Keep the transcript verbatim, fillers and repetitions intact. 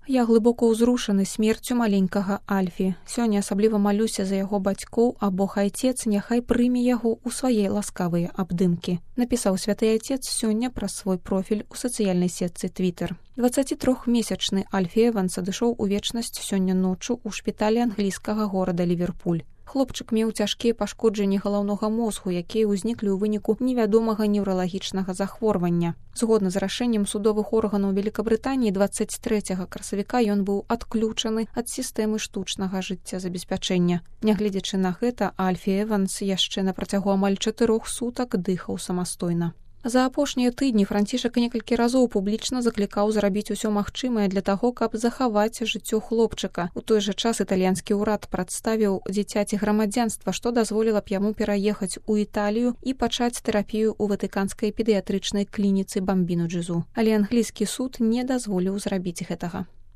Я глыбока ўзрушаны смерцю маленькага Альфі. Сёння асабліва малюся за яго бацькоў, а Бог Айцец няхай прыме яго ў свае ласкавыя абдымкі. Напісаў святы Айцец сёння праз свой профіль у сацыяльнай сетцы Твиттер. дваццацітрохмесячны Альфі Эванс адышоў у вечнасць сёння ноччу ў шпіталі англійскага горада Ліверпуль. Хлопчык меў цяжкія пашкоджанні галаўнога мозгу, якія ўзніклі ў выніку невядомага неўралагічнага захворвання. Згодна з рашэннем судовых органаў Великабрытаніі дваццаць трэцяга красавіка ён быў адключаны ад сістэмы штучнага жыццязабеспячэння. Нягледзячы на гэта, Альфі Эванс яшчэ на працягу амаль чатырох сутак дыхаў самастойна. За апошнія тыдні Францішак некалькі разоў публічна заклікаў зрабіць усё магчымае для таго, каб захаваць жыццё хлопчыка. У той жа час італьянскі ўрад прадставіў дзіцяці грамадзянства, што дазволіла б яму пераехаць у Італію і пачаць тэрапію ў ватыканскай педыятрычнай клініцы Бамбіно Джезу. Але англійскі суд не дазволіў зрабіць гэтага.